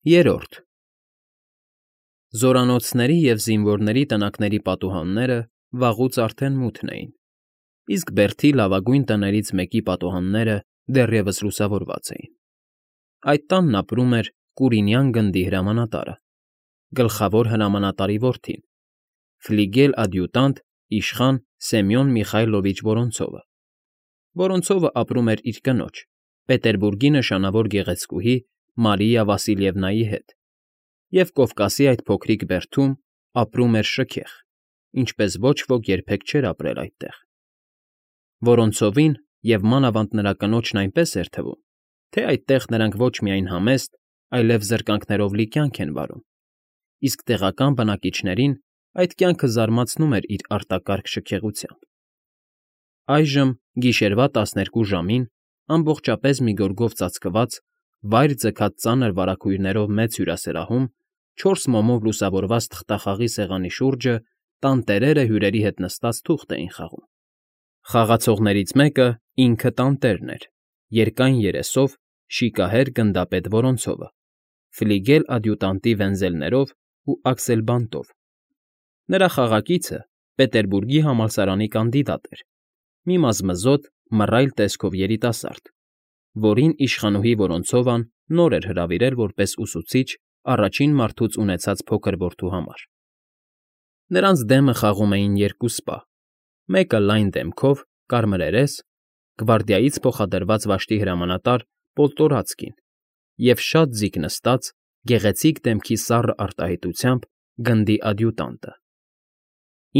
Երրորդ Զորանոցների և զինվորների տնակների պատուհանները վաղուց արդեն մութն էին, իսկ բերդի լավագույն տներից մեկի պատուհանները դեռևս լուսավորված էին. այդ տանն ապրում էր Կուրինյան գնդի հրամանատարը, գլխավոր հրամանատարի որդին, ֆլիգել֊ադյուտանտ իշխան Սեմյոն Միխայլովիչ Վորոնցովը։ Վորոնցովը ապրում էր իր կնոջ, Պետերբուրգի նշանավոր գեղեցկուհի Մարիա Վասիլևնայի հետ, և Կովկասի այդ փոքրիկ բերդում ապրում էր շքեղ, ինչպես ոչ ոք երբեք չէր ապրել այդտեղ։ Վորոնցովին և մանավանդ նրա կնոջն այնպես էր թվում, թե այդտեղ նրանք ոչ միայն համեստ, այլև զրկանքներով լի կյանք են վարում, իսկ տեղական բնակիչներին այդ կյանքը զարմացնում էր իր արտակարգ շքեղությամբ։ Այժմ, գիշերվա 12 ժամին, ամբողջապես մի գորգով ծածկված, վայր ձգած ծանր վարագույրներով մեծ հյուրասրահում 4 մոմով լուսավորված թղթախաղի սեղանի շուրջը տանտերերը հյուրերի հետ նստած թուղթ էին խաղում։ Խաղացողներից մեկը ինքը տանտերն էր, երկայն երեսով, շիկահեր գնդապետ Վորոնցովը, ֆլիգել֊ադյուտանտի վենզելներով ու աքսելբանտով։ Նրա խաղակիցը Պետերբուրգի համալսարանի կանդիդատ էր, մի մզմզոտ, մռայլ տեսքով երիտասարդ, որին իշխանուհի Վորոնցովան նոր էր հրավիրել որպես ուսուցիչ առաջին մարդուց ունեցած փոքր որդու համար։ Նրանց դեմը խաղում էին երկու սպա, մեկը լայն դեմքով, կարմրերես, գվարդիայից փոխադրված վաշտի հրամանատար Պոլտորացկին, և շատ ձիգ նստած, գեղեցիկ դեմքի սառը արտահայտությամբ գնդի ադյուտանտը։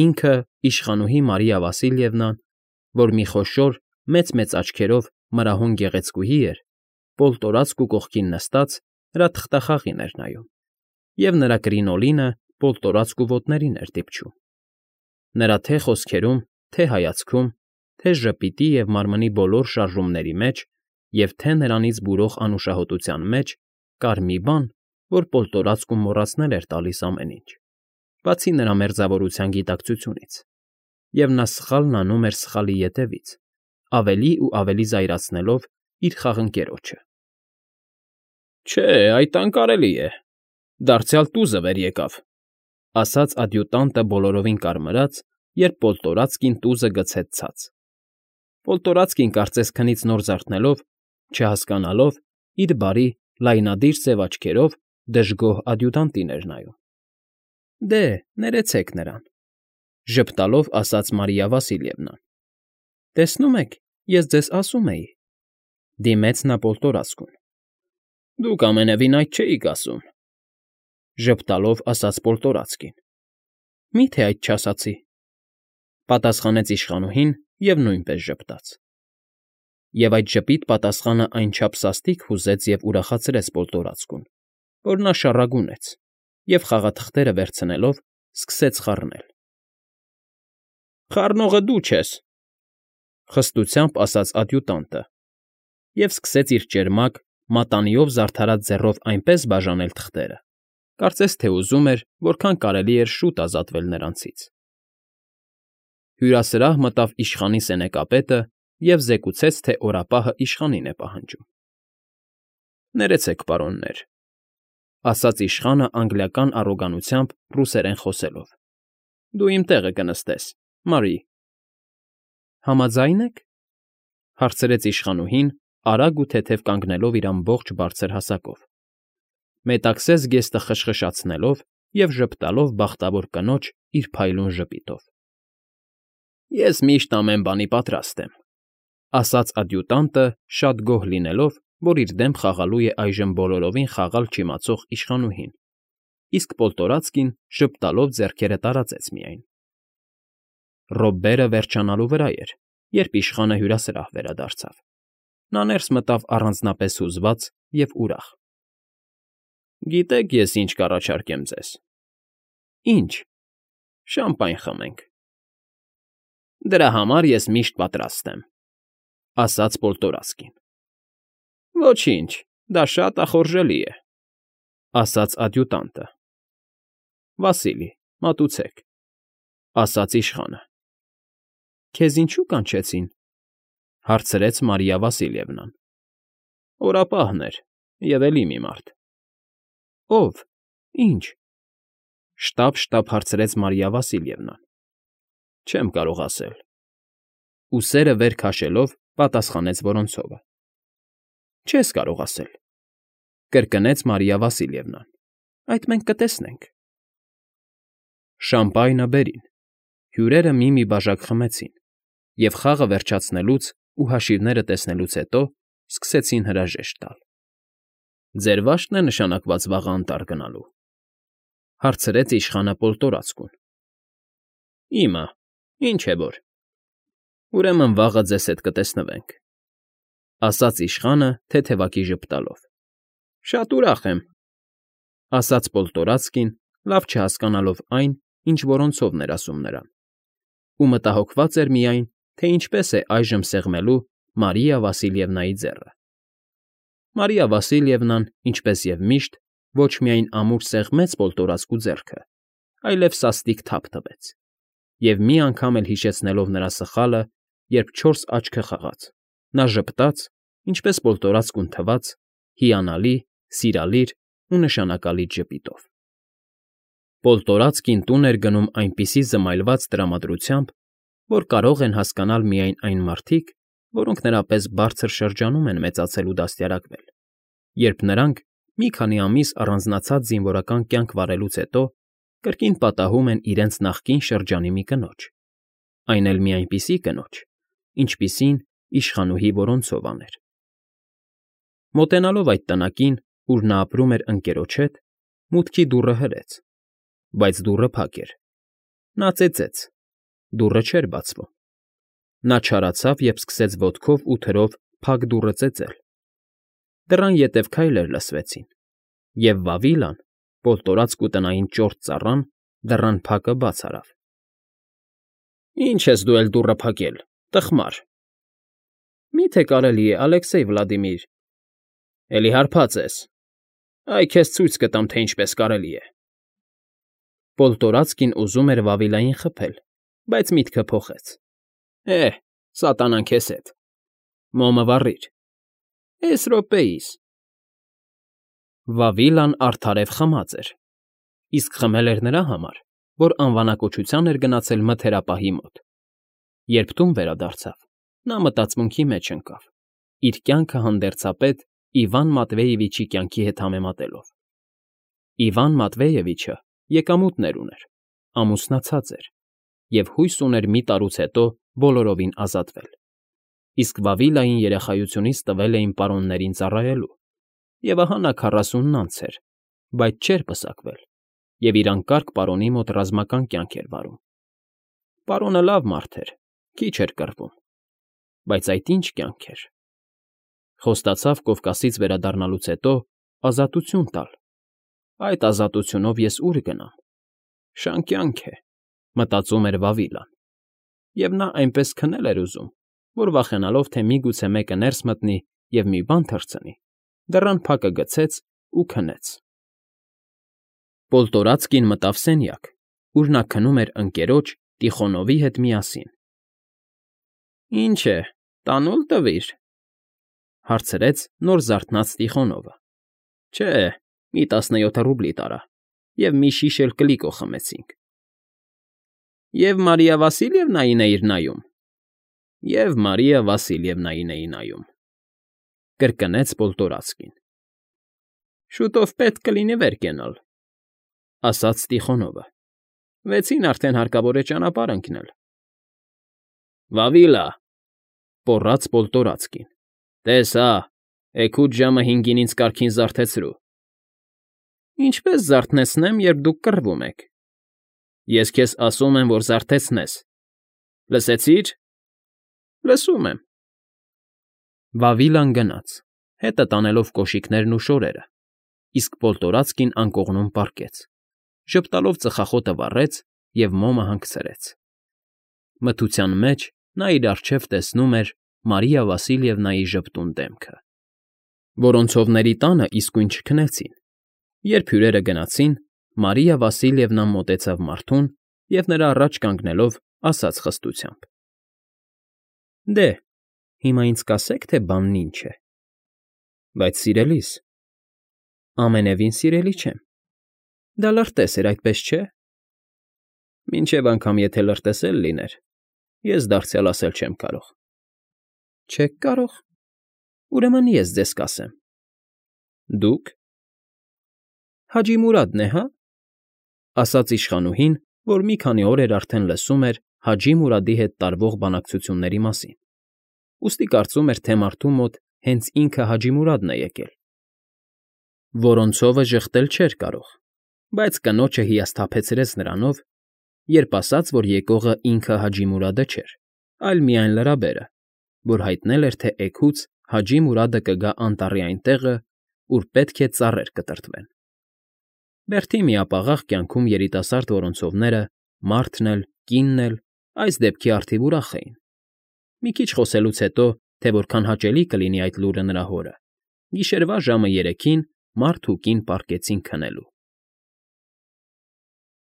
Ինքը իշխանուհի Մարիա Վասիլևնան, որ մի խոշոր, մեծ աչքերով մրահուն գեղեցկուհի էր, Պոլտորացկու կողքին նստած նրա թղթախաղին էր նայում, և նրա կրինոլինը Պոլտորացկու ոտներին էր դիպչում։ Նրա թե խոսքերում, թե հայացքում, թե ժպիտի և մարմնի բոլոր շարժումների մեջ և թե նրանից բուրող անուշահոտության մեջ կար մի բան, որ Պոլտորացկուն մոռացնել էր տալիս ամեն ինչ, բացի նրա մերձավորության գիտակցությունից, և նա սխալն անում էր սխալի ետևից, ավելի ու ավելի զայրացնելով իր խաղընկերոջը։ ֊ Չէ, այդ անկարելի է, դարձյալ տուզը վեր եկավ, ֊ ասաց ադյուտանտը բոլորովին կարմրած, երբ Պոլտորացկին տուզը գցեց ցած։ Պոլտորացկին կարծես քնից նոր զարթնելով, չհասկանալով, իր բարի, լայնադիր սև աչքերով դժգոհ ադյուտանտին էր նայում։ ֊ Դե, ներեցեք նրան, ֊ ժպտալով ասաց Մարիա Վասիլևնան։ ֊ Տեսնում եք, ես ձեզ ասում էի, ֊ դիմեց նա Պոլտորացկուն։ ֊ Դուք ամենևին այդ չէիք ասում, ֊ ժպտալով ասաց Պոլտորացկին։ ֊ Մի՞թե այդ չասացի, ֊ պատասխանեց իշխանուհին և նույնպես ժպտաց։ Եվ այդ ժպիտ պատասխանն այնչափ սաստիկ հուզեց և ուրախացրեց Պոլտորացկուն, որ նա շառագունեց և, խաղաթղթերը վերցնելով, սկսեց խառնել։ ֊ Խառնողը դու չես, ֊ խստությամբ ասաց ադյուտանտը և սկսեց իր ճերմակ, մատանիով զարդարած ձեռով այնպես բաժանել թղթերը, կարծես թե ուզում էր որքան կարելի էր շուտ ազատվել նրանցից։ Հյուրասրահ մտավ իշխանի սենեկապետը և զեկուցեց, թե օրապահը իշխանին է պահանջում։ ֊ Ներեցեք, պարոններ, ֊ ասաց իշխանը անգլիական առոգանությամբ ռուսերեն խոսելով։ ֊ Դու իմ տեղը կնստես, Մարի։ ֊ Համաձա՞յն եք, ֊ հարցրեց իշխանուհին, արագ ու թեթև կանգնելով իր ամբողջ բարձր հասակով, մետաքսե զգեստը խշխշացնելով և ժպտալով բախտավոր կնոջ իր փայլուն ժպիտով։ ֊ Ես միշտ ամեն բանի պատրաստ եմ, ֊ ասաց ադյուտանտը, շատ գոհ լինելով, որ իր դեմ խաղալու է այժմ բոլորովին խաղալ չիմացող իշխանուհին, իսկ Պոլտորացկին ժպտալով ձեռքերը տարածեց միայն։ Ռոբբերը վերջանալու վրա էր, երբ իշխանը հյուրասրահ վերադարձավ։ Նա ներս մտավ առանձնապես հուզված և ուրախ։ ֊ Գիտեք, ես ինչ կառաջարկեմ ձեզ։ ֊ Ի՞նչ։ ֊ Շամպայն խմենք։ ֊ Դրա համար ես միշտ պատրաստ եմ, ֊ ասաց Պոլտորացկին։ ֊ Ոչինչ, դա շատ ախորժելի է, ֊ ասաց ադյուտանտը։ ֊ Վասիլի, մատուցեք, ֊ ասաց իշխանը։ ֊ Քեզ ինչո՞ւ կանչեցին, ֊ հարցրեց Մարիա Վասիլևնան։ ֊ Օրապահն էր և էլի մի մարդ։ ֊ Ո՞վ։ Ի՞նչ։ Շտապ հարցրեց Մարիա Վասիլևնան։ Չեմ կարող ասել։ Ուսերը վեր քաշելով պատասխանեց Որոնցովը։ Չես կարող ասել, կրկնեց Մարիա Վասիլևնան։ Այդ մենք կտեսնենք։ Շամպայնը բերին։ Հյուրերը մի բաժակ խմեցին և խաղը վերջացնելուց ու հաշիվները տեսնելուց հետո սկսեցին հրաժեշտ տալ։ Ձեր վա՞շտն է նշանակված վաղը անտառ գնալու,֊ հարցրեց իշխանը Պոլտորացկուն։ Իմը, ինչ է որ։ Ուրեմն վաղը ձեզ հետ կտեսնվենք,֊ ասաց իշխանը թեթևակի ժպտալով։ Շատ ուրախ եմ,֊ ասաց Պոլտորացկին, լավ չհասկանալով այն, ինչ Որոնցովն էր ասում նրան, ու մտահոգված էր միայն, թե ինչպես է այժմ սեղմելու Մարիա Վասիլևնայի ձեռը։ Մարիա Վասիլևնան, ինչպես և միշտ, ոչ միայն ամուր սեղմեց Պոլտորացկու ձեռքը, այլև սաստիկ թափ տվեց, և մի անգամ էլ հիշեցնելով նրա սխալը, երբ չորս աչքը խաղաց, նա ժպտաց, ինչպես Պոլտորացկուն թվաց, հիանալի, սիրալիր ու նշանակալից ժպիտով։ Պոլտորացկին տուն էր գնում այնպիսի զմայլված տրամադրությամբ, որ կարող են հասկանալ միայն այն մարդիկ, որոնք նրա պես բարձր շրջանում են մեծացել ու դաստիարակվել, երբ նրանք, մի քանի ամիս առանձնացած զինվորական կյանք վարելուց հետո, կրկին պատահում են իրենց նախկին շրջանի մի կնոջ, այն էլ մի այնպիսի կնոջ, ինչպիսին իշխանուհի Որոնցովան էր։ Մոտենալով այդ տնակին, ուր նա ապրում էր ընկերոջ հետ, մուտքի դուռը հրեց, բայց դուռը փակ էր։ Նա ծեծեց, դուռը չէր բացվում։ Նա չարացավ և սկսեց ոտքով ու թրով փակ դուռը ծեծել։ Դռան ետև քայլեր լսվեցին, և Վավիլան, Պոլտորացկու տնային ճորտ ծառան, դռան փակը բաց արավ։ Ի՞նչ ես դու էլ դուռը փակել, տխմար։ Մի՞թե կարելի է, Ալեքսեյ Վլադիմիր։ Էլի հարբած ես։ Այ քեզ ցույց կտամ, թե ինչպես կարելի է։ Պոլտորացկին ուզում էր Վավիլային խփել, բայց միտքը փոխեց։ Սատանան քեզ հետ։ Մոմը վառիր։ Էս րոպեիս։ Վավիլան արդարև խմած էր, իսկ խմել էր նրա համար, որ անվանակոչության էր գնացել մթերապահի մոտ։ Երբ տուն վերադարձավ, նա մտածմունքի մեջ ընկավ, իր կյանքը հանդերձապետ Իվան Մատվեևիչի կյանքի հետ համեմատելով։ Իվան Մատվեևիչը եկամուտներ ուներ, ամուսնացած էր և հույս ուներ մի տարուց հետո բոլորովին ազատվել, իսկ Վավիլային երեխայությունից տվել էին պարոններին ծառայելու, և ահա նա 40-ն անց էր, բայց չէր պսակվել և իր անկարգ պարոնի մոտ ռազմական կյանք էր վարում։ Պարոնը լավ մարդ էր, քիչ էր կռվում, բայց այդ ինչ կյանք էր։ Խոստացավ Կովկասից վերադառնալուց հետո ազատություն տալ։ Այդ ազատությունով ես ուր գնամ։ Շան կյանք է, մտածում էր Վավիլան, և նա այնպես քնել էր ուզում, որ վախենալով, թե միգուցե մեկը ներս մտնի և մի բան թռցնի, դռան փակը գցեց ու քնեց։ Պոլտորացկին մտավ սենյակ, ուր նա քնում էր ընկերոջ Տիխոնովի հետ միասին։ Ինչ է, տանուլ տվիր,֊ հարցրեց նոր զարթնած Տիխոնովը։ Չէ, մի 17 ռուբլի տարա, և մի շիշ էլ կլիկո խմեցինք։ Եվ Մարիա Վասիլևնային էիր նայում։ Եվ Մարիա Վասիլևնային էի նայում,֊ կրկնեց Պոլտորացկին։ Շուտով պետք կլինի վեր կենալ,֊ ասաց Տիխոնովը։ 6-ին արդեն հարկավոր է ճանապարհ ընկնել։ Վավիլա,֊ պոռաց Պոլտորացկին,֊ տես հա, էգուց ժամը 5-ին ինձ կարգին զարթեցրու։ Ինչպես զարթնեցնեմ, երբ դուք կռվում եք։ Ես քեզ ասում եմ, որ զարթեցնես։ Լսեցի՞ր։ Լսում եմ։ Վավիլան գնաց, հետը տանելով կոշիկներն ու շորերը, իսկ Պոլտորացկին անկողնում պառկեց, ժպտալով ծխախոտը վառեց և մոմը հանգցրեց։ Մթության մեջ նա իր առջև տեսնում էր Մարիա Վասիլևնայի ժպտուն դեմքը։ Որոնցովների տանը իսկույն չքնեցին։ Երբ հյուրերը գնացին, Մարիա Վասիլևնան մոտեցավ մարդուն և նրա առաջ կանգնելով ասաց խստությամբ. Դե, հիմա ինձ կասեք, թե բանն ինչ է։ Բայց, սիրելիս, Ամենևին սիրելի չեմ։ Դա լրտես էր, այդպես չէ։ Մինչև անգամ եթե լրտես էլ լիներ, ես դարձյալ ասել չեմ կարող։ Չեք կարող։ Ուրեմն ես ձեզ կասեմ։ Դուք։ Հաջի Մուրադն է, հա՞, ասաց իշխանուհին, որ մի քանի օր էր արդեն լսում էր Հաջի Մուրադի հետ տարվող բանակցությունների մասին, ուստի կարծում էր, թե մարդու մոտ հենց ինքը Հաջի Մուրադն է եկել։ Որոնցովը ժխտել չէր կարող, բայց կնոջը հիասթափեցրեց նրանով, երբ ասաց, որ եկողը ինքը Հաջի Մուրադը չէր, այլ միայն լրաբերը, որ հայտնել էր, թե էգուց Հաջի Մուրադը կգա անտառի այն տեղը, ուր պետք է ծառեր կտրտվեն։ Բերթի միապաղաղ կյանքում երիտասարդ որոնցովները, մարդն էլ, կինն էլ այս դեպքի առթիվ ուրախ էին։ Մի քիչ խոսելուց հետո, թե որքան հաճելի կլինի այդ լուրը նրա հորը, գիշերվա ժամը 3-ին մարդ ու կին պառկեցին քնելու։